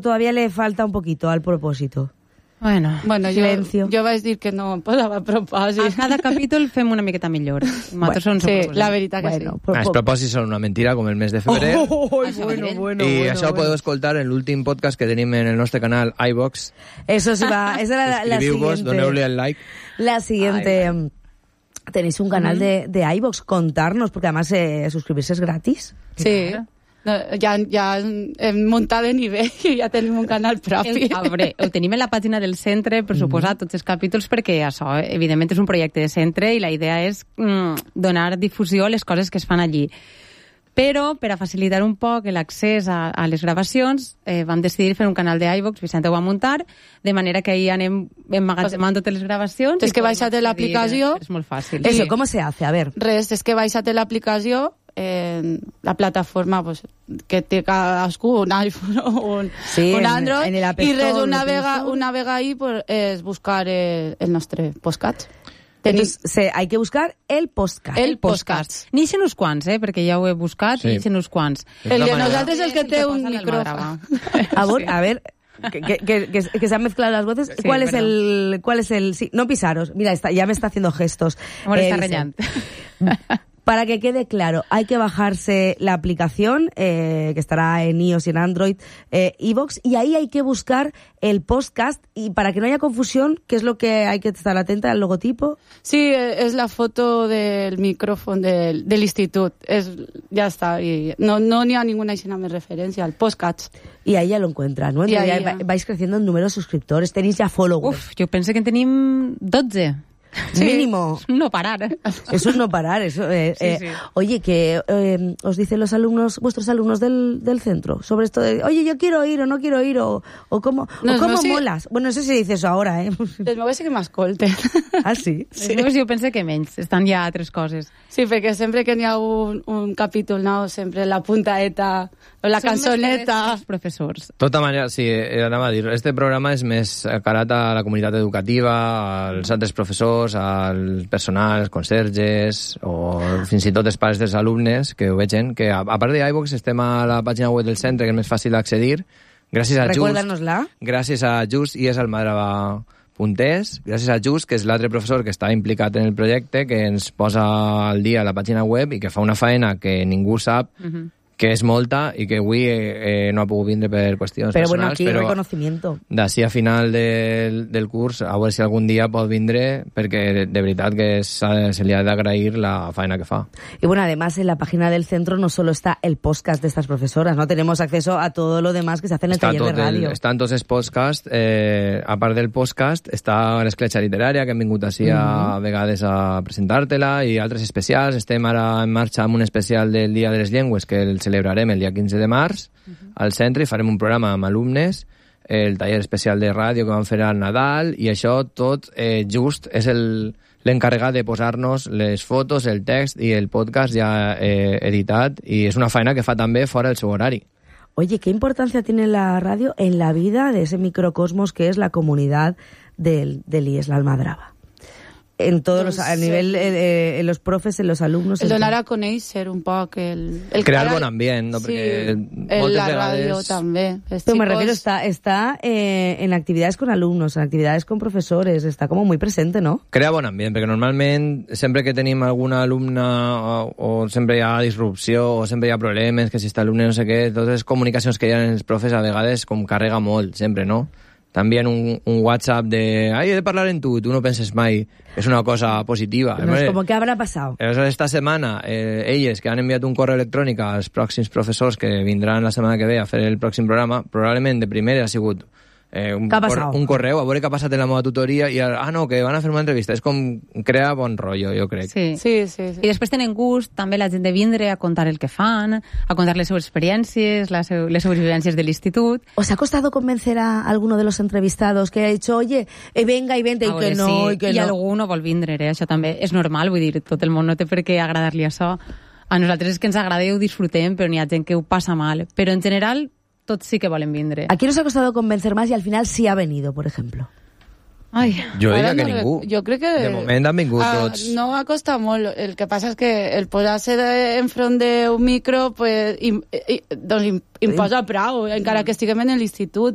todavía le falta un poquito al propòsit? Bueno, jo vaig dir que no em posava propòsit. A cada capítol fem una miqueta millor. Sí, la veritat que sí. Els propòsits són una mentira, com el mes de febrer. I això ho podeu escoltar en l'últim podcast que tenim en el nostre canal iVox. Eso sí va, esa era la Suscribiu-vos, siguiente. doneu-li el like. La siguiente... Tenéis un canal de iVox, contarnos, porque además suscribirse es gratis. Sí. No, ja hem muntat de nivell i ja tenim un canal propi. Ho tenim en la pàgina del centre, per suposar, tots els capítols, perquè això, evidentment, és un projecte de centre i la idea és donar difusió a les coses que es fan allí. Però, per a facilitar un poc l'accés a les gravacions, vam decidir fer un canal de iVox, Vicente ho va muntar, de manera que ahí anem emmagatzemant totes les gravacions. És que baixa't l'aplicació. És molt fàcil. Eso, ¿cómo se hace? A ver. Res, és que baixa't l'aplicació, la plataforma pues, que té cadascú, un iPhone o un Android, i res, una vega ahí pues, és buscar el nostre podcast. Entonces, hay que buscar el podcast. El podcast. N'hi uns quants, perquè ja ho he buscat, n'hi uns quants. El de nosaltres és el que té un micrófono. A ver, que se han mezclado las voces. Sí, ¿Cuál es el? Sí, no pisaros. Mira, ya me está haciendo gestos. Está reñant. Para que quede claro, hay que bajarse la aplicación que estará en iOS y en Android, iVox, y ahí hay que buscar el podcast, y para que no haya confusión, ¿qué es lo que hay que estar atenta al logotipo? Sí, es la foto del micrófono del institut. Ya está. Y no n'hi ha ninguna más referencia al podcast. Y ahí ya lo encuentran, ¿no? Ya vais creciendo en número de suscriptores, tenéis ya followers. Uf, yo pensé que tenim 12. Sí. Mínimo. No parar. Eso es no parar. Eso, sí. Oye, que os dicen los alumnos, vuestros alumnos del centro, sobre esto de, oye, yo quiero ir o no quiero ir, o cómo, no, o cómo no, molas. Sí. Bueno, no sé si dices eso ahora, ¿eh? Els meus sí que m'escolten. Ah, sí? Sí. Els meus jo penso que menys, estan ja altres coses. Sí, perquè sempre que n'hi ha un capítol nou, sempre la puntaeta o la cançoneta. Els professors. De tota manera, sí, anava a dir, este programa és més carat a la comunitat educativa, als altres professors, al personal, als conserges, o fins i tot els pares dels alumnes que ho vegen, que a part de iVox estem a la pàgina web del centre, que és més fàcil d'accedir, gràcies a Just i és almadrava.es, gràcies a Just, que és l'altre professor que està implicat en el projecte, que ens posa al dia a la pàgina web i que fa una faena que ningú sap, que és molta i que avui no ha pogut vindre per qüestions però personals, bueno, aquí reconocimiento. D'ací a final del curs, a veure si algun dia pot vindre, perquè de veritat que se li ha d'agrair la feina que fa. Y bueno, además en la página del centro no solo está el podcast de estas profesoras, ¿no? Tenemos acceso a todo lo demás que se hace en el taller de ràdio. Estan tots els podcasts, a part del podcast, està l'escletxa literària, que hem vingut així a vegades a presentar-te-la, i altres especials. Estem ara en marxa amb un especial del Dia de les Llengües, que el celebrarem el dia 15 de març al centre, i farem un programa amb alumnes, el taller especial de ràdio que vam fer al Nadal, i això tot Just és l'encarregat de posar-nos les fotos, el text i el podcast ja editat, i és una feina que fa també fora del seu horari. Oye, ¿qué importancia tiene la radio en la vida de ese microcosmos que es la comunidad del IES, la Almadrava? En todos los, a nivel en los profes, en los alumnos. El donar a conèixer un poc el crear bon ambient, no? Sí, perquè la ràdio també. Pero me refiero, está en actividades con alumnos, en actividades con profesores, está como muy presente, ¿no? Crea bon ambient, perquè normalment sempre que tenim alguna alumna o sempre hi ha disrupció o sempre hi ha problemes, que si està alumne no sé què, totes les comunicacions que hi ha en els profes a vegades com carrega molt, sempre, no? També un WhatsApp de he de parlar en tu no penses mai, és una cosa positiva. No, és com que habrà passat. Esta setmana, elles que han enviat un correu electrònic als pròxims professors que vindran la setmana que ve a fer el pròxim programa, probablement de primera ha sigut un correu, a veure què ha passat en la meva tutoria, i no, que van a fer una entrevista. És com crea bon rotllo, jo crec. Sí. I després tenen gust també la gent de vindre a contar el que fan, a contar les seves experiències, les seves vivències de l'institut. ¿Os ha costado convencer a alguno de los entrevistados que ha dicho, oye, venga y vente, y que no, sí, y que no? I algú no vol vindre, això també és normal, vull dir, tot el món no té per què agradar-li això. A nosaltres és que ens agrada i ho disfrutem, però n'hi ha gent que ho passa mal. Però en general tots sí que volen vindre. ¿A quién os ha costado convencer más y al final sí ha venido, por ejemplo? Ai. Jo diria que ningú. Jo crec que de moment han vingut tots. No ha costat molt. El que passa és que el posar-se enfront d'un micro pues, doncs imposa prou, encara que estiguem en l'institut.